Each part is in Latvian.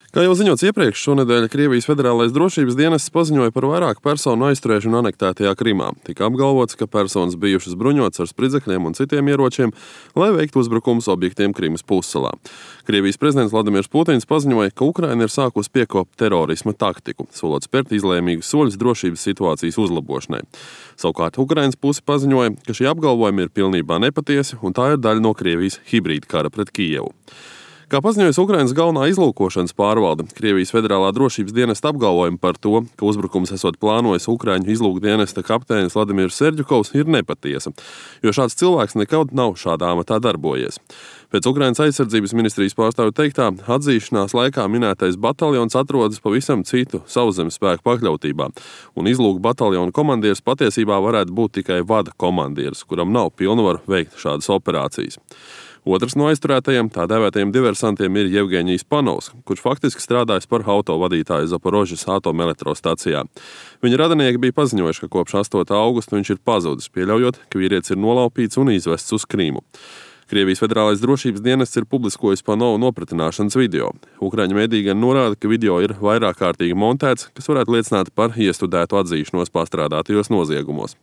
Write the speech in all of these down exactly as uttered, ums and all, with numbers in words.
Kā jau ziņots iepriekš, šonedēļ Krievijas Federālais drošības dienests paziņoja par vairāku personu aizturēšanu anektētajā Krimā. Tika apgalvots, ka personas bijušas bruņotas ar spridzekļiem un citiem ieročiem, lai veiktu uzbrukumus objektiem Krimas pussalā. Krievijas prezidents Vladimirs Putins paziņoja, ka Ukraina ir sākusi piekopt terorisma taktiku, solot spērt izlēmīgus soļus drošības situācijas uzlabošanai. Savukārt Ukrainas puse paziņoja, ka šie apgalvojumi ir pilnībā nepatiesi un tā ir daļa no Krievijas hibrīda kara pret Kijevu. Kā paziņojas Ukrainas galvenā izlūkošanas pārvalde, Krievijas Federālā drošības dienesta apgalvojumi par to, ka uzbrukums esot plānojis Ukraiņu izlūkdienesta kapteinis Vladimirs Serģukovs, ir nepatiesa, jo šāds cilvēks nekad nav šādā amatā darbojies. Pēc Ukrainas aizsardzības ministrijas pārstāvju teiktā, atzīšanās laikā minētais bataljons atrodas pavisam citu sauszemes spēku pakļautībā, un izlūku bataljona komandieris patiesībā varētu būt tikai vada komandieris, kuram nav pilnvaru veikt šādas operācijas. Otrs no aizturētajiem, tā dēvētajiem diversantiem, ir Jevgeņijs Panovs, kurš faktiski strādājis par autovadītāju Zaporožas atomelektrostacijā. Viņa radinieki bija paziņojuši, ka kopš astotā augusta viņš ir pazudis, pieļaujot, ka vīrietis ir nolaupīts un izvests uz Krīmu. Krievijas Federālais drošības dienests ir publiskojis Panovu nopratināšanas video. Ukraiņu mediji gan norāda, ka video ir vairāk kārtīgi montēts, kas varētu liecināt par iestudētu atzīšanos pastrādātajos noziegumos.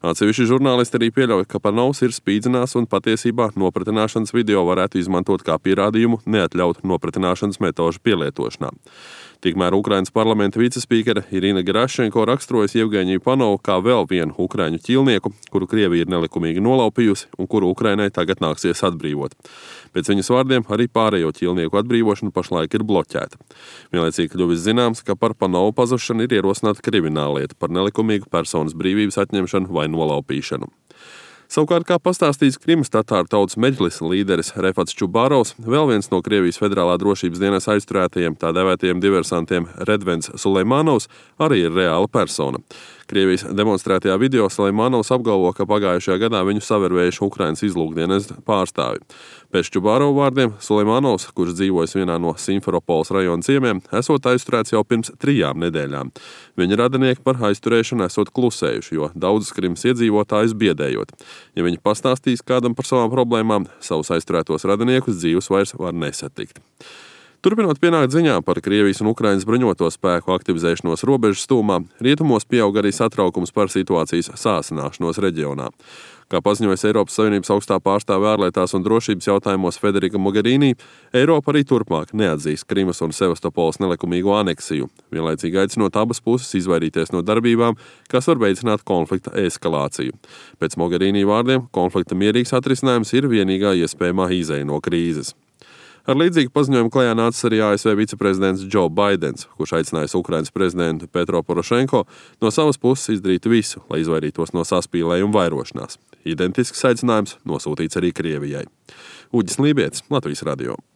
Atsevišķi žurnālisti arī pieļauj, ka Panovs ir spīdzinās un patiesībā nopratināšanas video varētu izmantot kā pierādījumu neatļautu nopratināšanas metožu pielietošanā. Tikmēr Ukrainas parlamenta vicespīkere Irina Gerašenko raksturojas Jevgeņiju Panovu kā vēl vienu ukraiņu ķīlnieku, kuru Krievija ir nelikumīgi nolaupījusi un kuru Ukrainai tagad nāksies atbrīvot. Pēc viņas vārdiem arī pārējo ķīlnieku atbrīvošana pašlaik ir bloķēta. Vienlaicīgi kļuvis zināms, ka par Panovu pazušanu ir ierosināta krimināllieta par nelikumīgu personas brīvības atņemšanu vai nolaupīšanu. Savukārt, kā pastāstīts Krimas tatāru tautas meģlisa līderis Refats Čubārovs, vēl viens no Krievijas Federālā drošības dienesta aizturētajiem, tā dēvētajiem diversantiem Redvens Sulejmanovs, arī ir reāla persona. Krievijas demonstrētajā video Sulejmanovs apgalvo, ka pagājušajā gadā viņu savervējuši Ukrainas izlūkdienesta pārstāvi. Pēc Čubārova vārdiem Sulejmanovs, kurš dzīvojas vienā no Simferopoles rajona ciemiem, esot aizturēts jau pirms trijām nedēļām. Viņa radinieki par aizturēšanu esot klusējuši, jo daudzus Krimas iedzīvotājus biedējot. Ja viņi pastāstīs kādam par savām problēmām, savus aizturētos radiniekus dzīvus vairs var nesatikt. Turpinot pienākt ziņām par Krievijas un Ukrainas bruņoto spēku aktivizēšanos robežas tūmā, rietumos pieaug arī satraukums par situācijas sāsināšanos reģionā. Kā paziņojas Eiropas Savienības augstā pārstāve ārlietās un drošības jautājumos Federika Mogherini, Eiropa arī turpmāk neatzīs Krimas un Sevastopoles nelikumīgo aneksiju, vienlaicīgi aicinot abas puses izvairīties no darbībām, kas var veicināt konflikta eskalāciju. Pēc Mogherini vārdiem, konflikta mierīgs atrisinājums ir vienīgā iespējamā izeja no krīzes. Ar līdzīgu paziņojumu klajā nācis arī A S V viceprezidents Džo Baidens, kurš aicinājis Ukrainas prezidentu Petro Porošenko no savas puses izdarīt visu, lai izvairītos no saspīlējuma vairošanās. Identisks aicinājums nosūtīts arī Krievijai. Uģis Lībietis, Latvijas radio.